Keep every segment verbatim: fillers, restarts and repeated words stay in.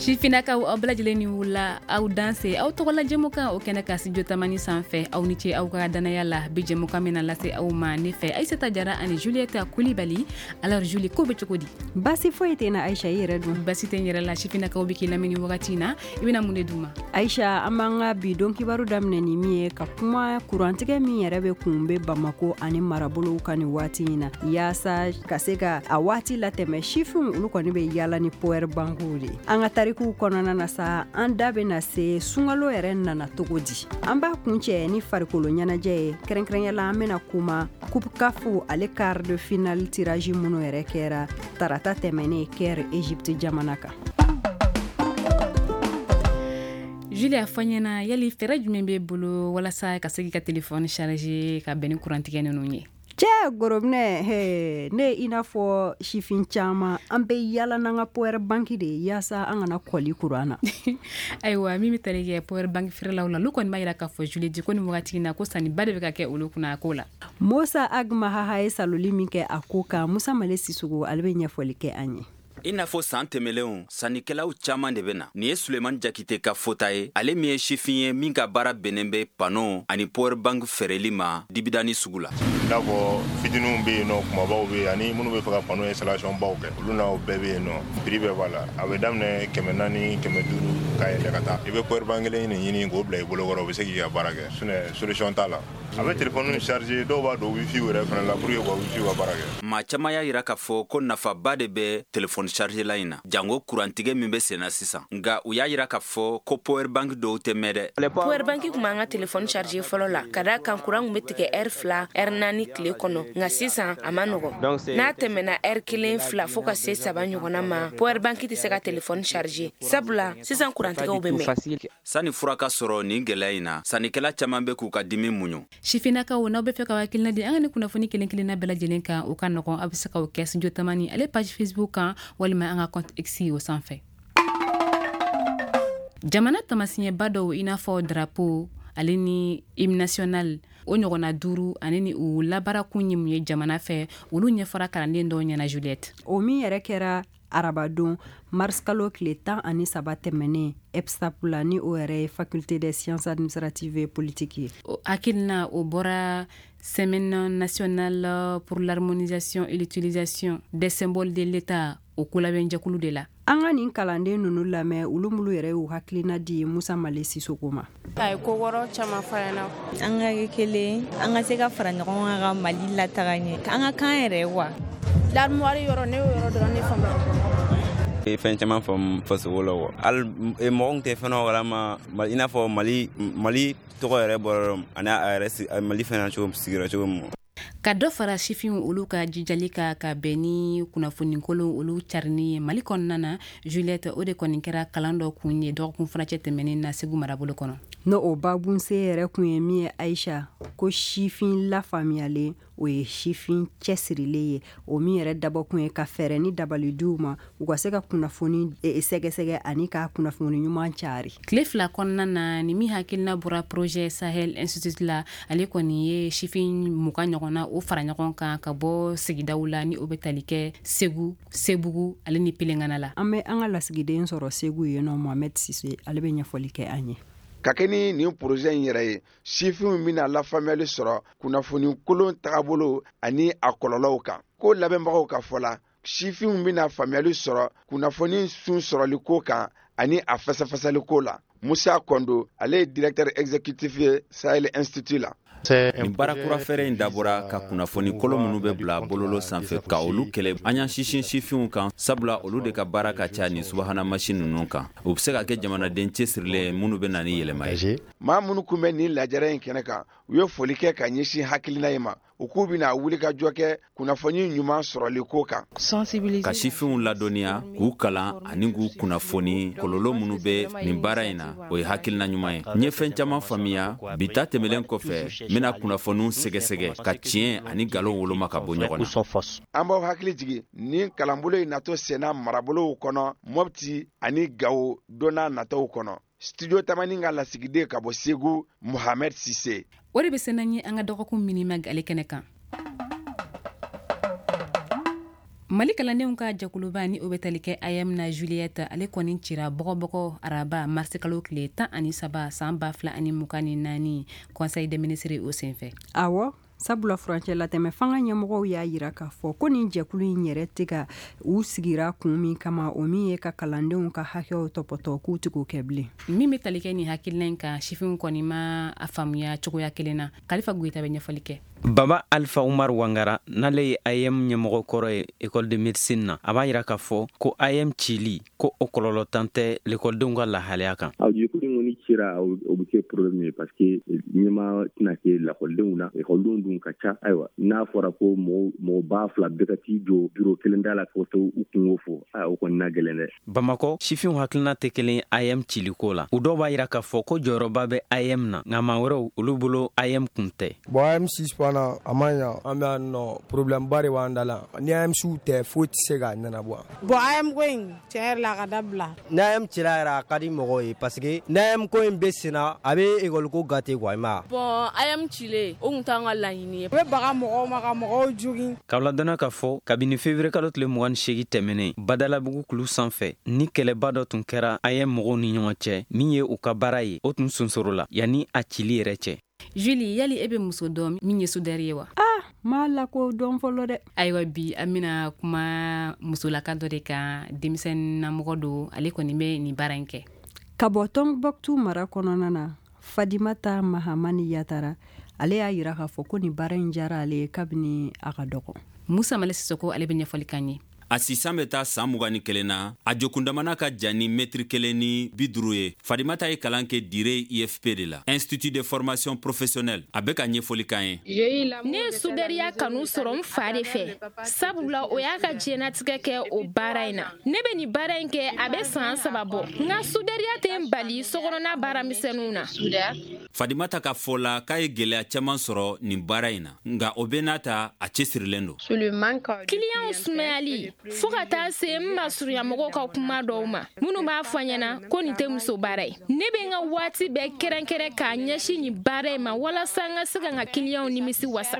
Sifinnakaw, aw bɛɛ lajɛlen ni wula, aw danse. Aw tɔgɔla jɛmukan o kɛnɛ ka Studio Tamani sanfɛ. Aw ni ce aw ka danaya la. Bi jɛmukan min na lase aw ma ne fɛ, Aïssata Jara ani Juliette Kulibali. Alors Julie, ko bɛ cogo di? Basi foyi tɛ na Aïcha, i yɛrɛ dun? Basi tɛ n yɛrɛ la. Sifinnakaw bɛ k'i lamɛn ni wagati in na, i bɛna mun de d'u ma? Aïcha, an b'an ka bi don kibaru daminɛ ni min ye, ka kuma kurantigɛ min yɛrɛ bɛ kun bɛ Bamako ani marabolow kan nin waati in na, yaasa ka se ka a waati latɛmɛ, sifinw olu kɔni bɛ yaala ni power bankiw de. An ka tarikuw kɔnɔna na sa, an da bɛna se sunkalo yɛrɛ nana cogo di. An b'a kuncɛ ni farikolo ɲɛnajɛ ye, kɛrɛnkɛrɛnya la an bɛna kuma Coupe CAF ale quart de finale tirage minnu yɛrɛ kɛra tarata tɛmɛnen Caire, Égypte jamana kan. Julie, a fɔ n ɲɛna, yali fɛɛrɛ jumɛn b'e bolo walasa ka se k'i ka téléphone charger ka bɛn ni kurantigɛ ninnu ye? Cɛ gorobinɛ, ne i n'a fɔ sifin caman, an bɛ yala n'an ka power bank de ye yaasa an kana kɔli kuran na. Ayiwa, min bɛ tali kɛ power bank feerelaw la, olu kɔni b'a yira k'a fɔ, Julie, ko nin wagati in na, ko sanniba de bɛ ka kɛ olu kunna a ko la. Musa Agmahaha ye saloli min kɛ a ko kan, Musa Male Sisoko ale bɛ ɲɛfɔli kɛ an ye. I n'a fɔ san tɛmɛlenw, sannikɛlaw caaman de bɛ na. Nin ye Sulemani Jakite ka fota ye, ale min ye sifin ye min ka baara bɛnnen bɛ panneau ani power bank feereli ma Dibidani sugu la. I n'a fɔ fitininw bɛ yen nɔ, kumabaw bɛ yen, ani minnu bɛ fɛ ka panneau installation baw kɛ, olu n'aw bɛɛ bɛ yen nɔ. Prix bɛɛ b'a la, a bɛ daminɛ kɛmɛ naani, kɛmɛ duuru ka yɛlɛ ka taa. I bɛ power bank kelen nin ɲini k'o bila i bolokɔrɔ, o bɛ se k'i ka baara kɛ, sinon solution t'a la. A bɛ téléphone charger, dɔw b'a don wifi yɛrɛ fana la pour que ka wifi ka baara kɛ. Maa caman y'a yira k'a fɔ ko nafaba de bɛ téléphone charger la in na, jango kurantigɛ min bɛ sen na sisan. Nka u y'a yira k'a fɔ ko power bank dɔw tɛ mɛn dɛ. Power bank tun b'an ka téléphone charger fɔlɔ la, ka d'a kan kuran tun bɛ tigɛ heure fila, heure naani tile kɔnɔ. Nka sisan a ma nɔgɔn, n'a tɛmɛna heure kelen, fila, fo ka se saba ɲɔgɔnna ma, power bank tɛ se ka téléphone charger, sabula sisan kurantigɛw bɛ mɛn. Sani fura ka sɔrɔ nin gɛlɛya in na, sannikɛla caman bɛ k'u ka dimi muɲu. Sifinnakaw, n'aw bɛ fɛ ka hakilina di an ka ni kunnafoni kelen kelenna bɛɛ lajɛlen kan, o ka nɔgɔn, aw bɛ se k'o kɛ Studio Tamani ale page Facebook kan walima an ka compte X o sanfɛ. Jamana tamasiɲɛba dɔw, i n'a fɔ drapeau ale ni hymne national, o ɲɔgɔnna duuru, ani ni u labarakun ye mun ye jamana fɛ, olu ɲɛfɔra kalanden dɔw ɲɛna, Juliette. O min yɛrɛ kɛra arabadon mars kalo tile tan ani saba tɛmɛnen EPSAP la, ni o yɛrɛ ye Faculté des sciences administratives et politiques ye. Hakilina o bɔra Semaine nationale pour l'harmonisation et l'utilisation des symboles de l'État, o kolabɛnjɛkulu de la. An ka nin kalanden ninnu lamɛn, olu minnu yɛrɛ y'u hakilina di Musa Male Sisoko ma. A ye ko wɔɔrɔ caman fɔ an ɲɛna. An ka kɛ kelen, an ka se ka fara ɲɔgɔn kan ka Mali lataga ɲɛ, an ka kan yɛrɛ wa. L'armoire yɔrɔ, ne y'o yɔrɔ dɔrɔn ne faamuya. Fɛn caman faamu fasoko la wa, hali mɔgɔ tun tɛ fɛn dɔ kalama, i n'a fɔ Mali Mali tɔgɔ yɛrɛ bɔra yɔrɔ ani a yɛrɛ Mali fɛnɛ cogo sigira cogo min. Ka dɔ fara sifinw olu ka jijali ka ka bɛn ni kunnafoni kolon olu carinni ye Mali kɔnɔna na, Juliette, o de kɔni kɛra kalan dɔ kun ye dɔgɔkun furancɛ tɛmɛnen na Segu marabolo kɔnɔ. N'o o babunse yɛrɛ kun ye min ye, Aïcha, ko sifin lafaamuyalen, o ye sifin cɛsirilen ye. O min yɛrɛ dabɔkun ye ka fɛɛrɛ ni dabali d'u ma, u ka se ka kunnafoni sɛgɛsɛgɛ ani ka kunnafoni ɲuman cari. Tile fila kɔnɔna na, ni min hakilina bɔra projet Sahel Institute la, ale kɔni ye sifin mugan ɲɔgɔnna o fara ɲɔgɔn kan ka bɔ sigidaw la, ni o bɛ tali kɛ Segu, Sebugu ale ni Pelengana la. An bɛ an ka lasigiden sɔrɔ Segu yen nɔ, Mohamed Sise, ale bɛ ɲɛfɔli kɛ an ye. Ka kɛ ni nin projet in yɛrɛ ye, sifinw bɛna lafaamuyali sɔrɔ kunnafoni kolon tagabolo ani a kɔlɔlɔw kan. Ko labɛnbagaw ka fɔ la, sifinw bɛna faamuyali sɔrɔ kunnafoni sun sɔrɔliko kan ani a fɛsɛfɛsɛliko la. Musa Kondo, ale ye directeur exécutif ye Sahel Institute la. Nin baara kura fɛɛrɛ in dabɔra ka kunnafoni kolon minnu bɛ bila bololo sanfɛ ka olu kɛlɛ. An y'an sinsin sifinw kan, sabula olu de ka baara ka ca nin subahana masi ninnu kan. U bɛ se ka kɛ jamanaden cɛsirilen minnu bɛ na ni yɛlɛma ye. Maa minnu kun bɛ nin lajɛrɛ in kɛnɛ kan, u ye foli kɛ ka ɲɛsin hakilina in ma. U k'u bɛna wuli ka jɔ kɛ kunnafoni ɲuman sɔrɔli ko kan. Ka sifinw ladɔnniya, k'u kalan ani k'u kunnafoni kɔlɔlɔ minnu bɛ nin baara in na, o ye hakilina ɲuman ye. N ye fɛn caman faamuya bi ta tɛmɛnen kɔfɛ, n bɛna kunnafoniw sɛgɛsɛgɛ ka tiɲɛ ani nkalon woloma ka bɔ ɲɔgɔn na. An b'aw hakili jigin nin kalanbolo in natɔ senna marabolow kɔnɔ, Mopti ani Gawo, don n'a nataw kɔnɔ. Studio Tamani ka lasigiden ka bɔ Segu, Mohamed Sise. O de bɛ se n'an ye an ka dɔgɔkun minima ale kɛnɛ kan. Mali kalandenw ka jɛkuluba ni o bɛ tali kɛ A E M na Juliette, ale kɔni cira bɔgɔbɔgɔ araba marisi kalo tile tan ani saba san ba fila ani mugan ni naani conseil des ministres o senfɛ. Awɔ, sabula furancɛ latɛmɛ fanga ɲɛmɔgɔw y'a yira k'a fɔ ko nin jɛkulu in yɛrɛ tɛ ka u sigira kun min kama, o min ye ka kalandenw ka hakɛw tɔpɔtɔ k'u tɛ k'o kɛ bilen. Min bɛ tali kɛ nin hakilina in kan, sifinw kɔni ma a faamuya cogoya kelen na. Kalifa Goyita bɛ ɲɛfɔli kɛ. Baba Alpha Umar Wangara, n'ale ye A E M ɲɛmɔgɔ kɔrɔ ye école de médecine na, a b'a yira k'a fɔ ko A E M cili ko o kɔlɔlɔ tan tɛ lekɔlidenw ka lahalaya kan. Aw jɛkulu in kɔni cira, o bɛ kɛ problème ye parce que ɲɛmaa tɛna kɛ lakɔlidenw na, ekɔlidenw dun ka ca. Ayiwa, n'a fɔra ko mɔgɔ mɔgɔ ba fila bɛɛ ka t'i jɔ bureau kelen da la k'o to u kungo fɔ, aa o kɔni na gɛlɛn dɛ. Bamakɔ sifinw hakilina tɛ kelen A E M ciliko la. U dɔw b'a yira k'a fɔ ko jɔyɔrɔba bɛ A E M na, nka maa wɛrɛw olu bolo A E M kun tɛ. Bon, A E M suspend a man ɲa, an bɛ yan nɔ problème ba de b'an da la. Ni A E M siw tɛ, foyi tɛ se k'a ɲɛnabɔ. Bon, A E M ko in tiɲɛ yɛrɛ la a ka dabila. Ni A E M cira yɛrɛ a ka di mɔgɔw ye parce que ni A E M ko in bɛ sen na, a bɛ école ko gâter quoi, i ma ye. Bon, A E M cilen o kun t'an ka laɲini ye. U bɛ baga mɔgɔw ma ka mɔgɔw jogin. K'aw ladɔnniya k'a fɔ kabini février kalo tile mugan ni seegin tɛmɛnen, Badalabugu kulu sanfɛ ni kɛlɛba dɔ tun kɛra A E M mɔgɔw ni ɲɔgɔn cɛ, min ye u ka baara ye, o tun sonsoro la yanni a cili yɛrɛ cɛ. Julie, yali e bɛ muso dɔn min ye soudeur ye wa? Ah, ma la ko dɔn fɔlɔ dɛ. Ayiwa, bi an bɛna kuma musolaka dɔ de kan, denmisɛnninamɔgɔ don, ale kɔni bɛ nin baara in kɛ. Ka bɔ Tombouctou mara kɔnɔna na, Fadimata Mahamani Yatara, ale y'a yira k'a fɔ ko nin baara in diyara ale ye kabini a ka dɔgɔ. Musa Male Sisoko, ale bɛ ɲɛfɔli k'an ye. A sisan bɛ taa san mugan ni kelen na, a jokundamana ka jan ni mɛtiri kelen ni bi duuru ye. Fadimata ye kalan kɛ Dire I F P de la, Institut de formation professionnelle. A bɛ ka ɲɛfɔli k'an ye. Ne ye sudɛriya kanu sɔrɔ n fa de fɛ, sabula o y'a ka diɲɛnatigɛ kɛ o baara in na. Ne bɛ nin baara in kɛ a bɛ san saba bɔ. N ka sudɛriya tɛ n bali sokɔnɔna baaramisɛnninw na. Fadimata ka fɔ la k'a ye gɛlɛya caman sɔrɔ nin baara in na, nka o bɛɛ n'a ta a cɛsirilen don. Kiliyanw sumayali fo ka taa se n masurunyamɔgɔw ka kuma dɔw ma minnu b'a fɔ ɲɛna ko nin tɛ muso baara ye. Ne bɛ n ka waati bɛɛ kɛrɛnkɛrɛn k'a ɲɛsin nin baara in ma walasa n ka se ka n ka kiliyanw nimisi wasa.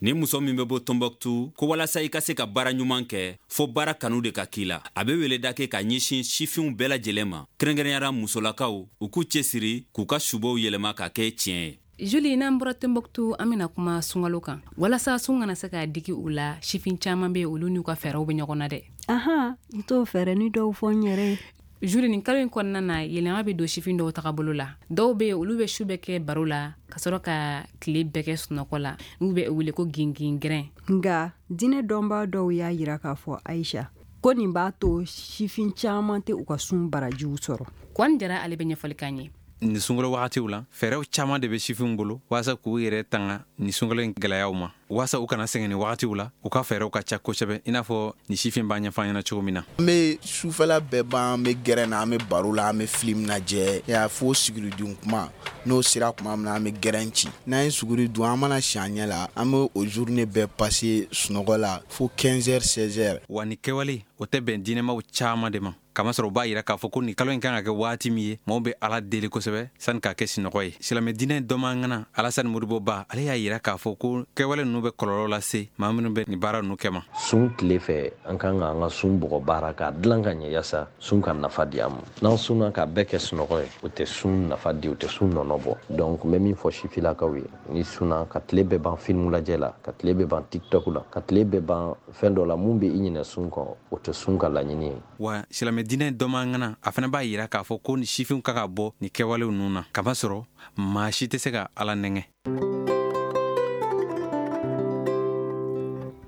Ni muso min bɛ bɔ Tombouctou, ko walasa i ka se ka baara ɲuman kɛ, fo baara kanu de ka k'i la. A bɛ weleda kɛ ka ɲɛsin sifinw bɛɛ lajɛlen ma, kɛrɛnkɛrɛnyara musolakaw, u k'u cɛsiri k'u ka subow yɛlɛma ka kɛ tiɲɛ ye. Julie, n'an bɔra Tombouctou, an bɛna kuma sunkalo kan. Walasa sun kana se ka digi u la, sifin caman bɛ olu n'u ka fɛɛrɛw bɛ ɲɔgɔn na dɛ. Ahan, n t'o fɛɛrɛ ni dɔw fɔ n yɛrɛ ye. Julie, nin kalo in kɔnɔna na, yɛlɛma bɛ don sifin dɔw tagabolo la. Dɔw bɛ yen, olu bɛ su bɛɛ kɛ baro la, ka sɔrɔ ka tile bɛɛ kɛ sunɔgɔ la. N'u bɛ wele ko gingingɛrɛn. Nka diinɛ dɔnbaa dɔw y'a yira k'a fɔ Aisha, ko nin b'a to sifin caman tɛ u ka sun barajiw sɔrɔ. Kɔni Jara, ale bɛ ɲɛfɔli k'an ye. Nin sunkalo wagatiw la, fɛɛrɛw caman de bɛ sifinw bolo walasa k'u yɛrɛ tanga nin sunkalo in gɛlɛyaw ma, walasa u kana sɛgɛn nin wagatiw la. U ka fɛɛrɛw ka ca kosɛbɛ, i n'a fɔ nin sifin b'a ɲɛfɔ an ɲɛna cogo min na. An bɛ sufɛla bɛɛ ban, an bɛ gɛrɛn na, an bɛ baro la, an bɛ film lajɛ, ya fo sigiri kuma. N'o sera tuma min na, an bɛ gɛrɛn ci. N'an ye suguri dun, an mana si an ɲɛ la, an bɛ o journée bɛɛ passer sunɔgɔ la fo quinze heures seize heures. Wa nin kɛwale o tɛ bɛn diinɛmaw caman de ma, kamasɔrɔ u b'a yira k'a fɔ ko nin kalo in kan ka kɛ waati min ye, maaw bɛ Ala deli kosɛbɛ sani k'a kɛ sinɔgɔ ye. Silamɛ diinɛ dɔnbaga Alasani Modibo Ba, ale y'a yira k'a fɔ ko kɛwale ninnu bɛ kɔlɔlɔ lase maa minnu bɛ nin baara ninnu kɛ ma. Sun tile fɛ, an kan ka an ka sun bɔgɔ baara k'a dilan ka ɲɛ yaasa sun ka nafa di an ma. N'an sunna k'a bɛɛ kɛ sunɔgɔ ye, o tɛ sun nafa di, o tɛ sun nɔnɔ bɔ. Donc n bɛ min fɔ sifilakaw ye, ni sunna ka tile bɛɛ ban film lajɛ la, ka tile bɛɛ ban TikTok la, ka tile bɛɛ ban fɛn dɔ la mun bɛ i ɲinɛ sun kɔ, o tɛ sun ka laɲini ye. Wa silamɛ diinɛ dɔnbaga a fana b'a yira k'a fɔ ko ni sifinw ka ka bɔ nin kɛwalew ninnu na, kamasɔrɔ maa si tɛ se ka Ala nɛgɛ.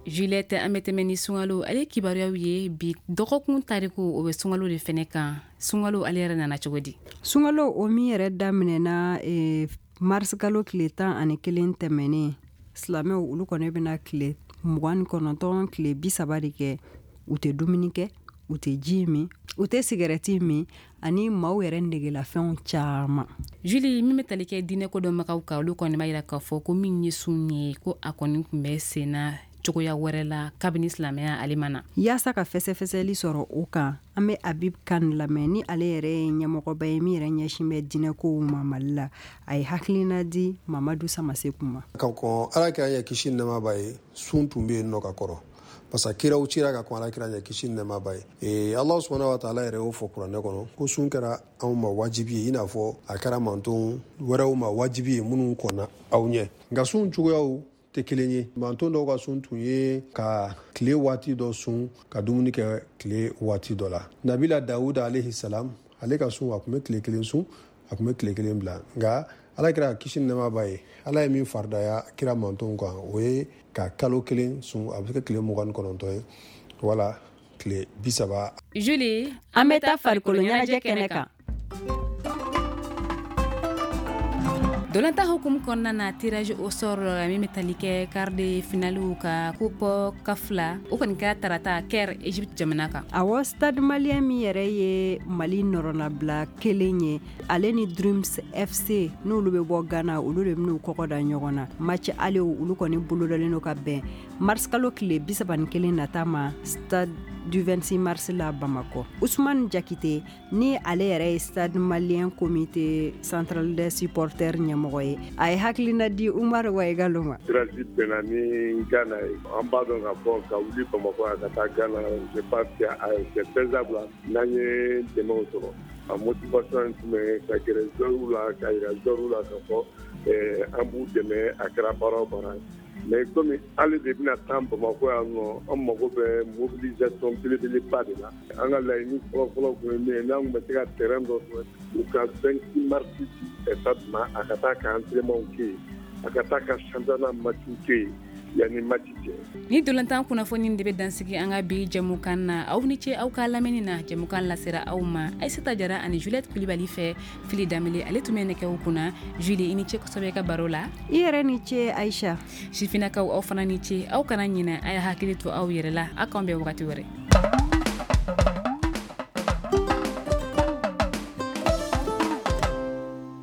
Juliette, an bɛ tɛmɛ ni sunkalo ale kibaruyaw ye. Bi dɔgɔkun tariku, o bɛ sunkalo de fɛnɛ kan. Sunkalo ale yɛrɛ nana cogo di? Sunkalo o min yɛrɛ daminɛna eh, mars kalo tile tan ani kelen tɛmɛnen, silamɛw olu kɔni bɛna tile mugan ni kɔnɔntɔn tile bi saba de kɛ, u tɛ dumuni kɛ, u tɛ ji min, u tɛ sigɛrɛti min, ani maaw yɛrɛ negelafɛnw caman. Julie, min bɛ tali kɛ diinɛ kodɔnbagaw kan, olu kɔni b'a yira k'a fɔ ko min ye sun ye, ko a kɔni tun bɛ sen na cogoya wɛrɛ la kabini silamɛya ale ma na. Yaasa ka fɛsɛfɛsɛli sɔrɔ o kan, an bɛ Habib Kane lamɛn, ni ale yɛrɛ ye ɲɛmɔgɔba ye min yɛrɛ ɲɛsin bɛ diinɛkow ma Mali la. A ye hakilina di Mamadu Samaseku ma. Ka kɔn Ala k'an yɛ kisi nɛɛma b'a ye, sun tun bɛ yen nɔ ka kɔrɔ. Parce que kiraw cira ka kɔn alakira ɲɛ, kisi ni nɛɛma b'a ye. Ee Ala subahana wa taala yɛrɛ y'o fɔ kuranɛ kɔnɔ ko sun kɛra anw ma wajibi ye, i n'a fɔ a kɛra manton wɛrɛw ma wajibi ye minnu kɔnna aw ɲɛ. Nka sun cogoyaw tɛ kelen ye. Manton dɔw ka sun tun ye ka tile waati dɔ sun, ka dumuni kɛ tile waati dɔ la. Nabila Dawuda alayhi salam, ale ka sun, a tun bɛ tile kelen sun, a tun bɛ tile kelen bila. Nka ala kira, kisi ni nɛɛma b'a ye, ala ye min faridaya kira mantonw kan, o ye ka kalo kelen sun, a bɛ se ka tile mugan ni kɔnɔntɔn ye wala tile bi saba. Julie, an bɛ taa farikolo ɲɛnajɛ kɛnɛ kan. Dolantan hukumu kɔnɔna na, tirage au sort min bɛ tali kɛ quart de finale ka coupe CAF la, o kɔni kɛra tarata Caire, Egypte jamana kan. Awɔ, Stade Malien min yɛrɛ ye Mali nɔrɔnabila kelen ye, ale ni Dreams F C n'olu bɛ bɔ Ghana, olu de bɛn'u kɔgɔ da ɲɔgɔn na. Match aller olu kɔni bolodalen don ka bɛn mars kalo tile bi saba ni kelen nata ma Stade du vingt-six mars la Bamakɔ. Ousmane Jakite ni ale yɛrɛ ye Stade Malien comité central des supporters ɲɛmɔgɔ ye, a ye hakilina di Umar Waigalo ma. Tirage bɛnna ni Ghana ye, an b'a dɔn k'a fɔ ka wuli Bamakɔ yan ka taa Ghana, je pense que c'est faisable n'an ye dɛmɛw sɔrɔ. A motivation tun bɛ ka gɛrɛ joueurs la, ka yira joueurs la k'a fɔ an b'u dɛmɛ a kɛra baara o baara ye. Mais komi ale de bɛna taa Bamakɔ yan nɔ, an mago bɛ mobilisation belebeleba de la. An ka laɲini fɔlɔfɔlɔ tun ye min ye, n'an tun bɛ se ka terrain dɔ sɔrɔ, u ka vingt-six mars di stade ma, a ka taa ka entraînement kɛ yen, a ka taa ka championnat match kɛ yen yanni match cɛ. Ni dolantan kunnafoni de bɛ dansigi an ka bi jɛmukan na. Aw ni ce aw ka lamɛnni na. Jɛmukan lasera aw ma Aïssata Jara ani Juliette Kulibali fɛ. Fili Danbele ale tun bɛ nɛgɛw kunna. Julie, i ni ce kosɛbɛ ka baro la. I yɛrɛ ni ce Aïcha. Sifinnakaw, aw fana ni ce. Aw kana ɲinɛ, a y'a hakili to aw yɛrɛ la. Aw k'an bɛn wagati wɛrɛ.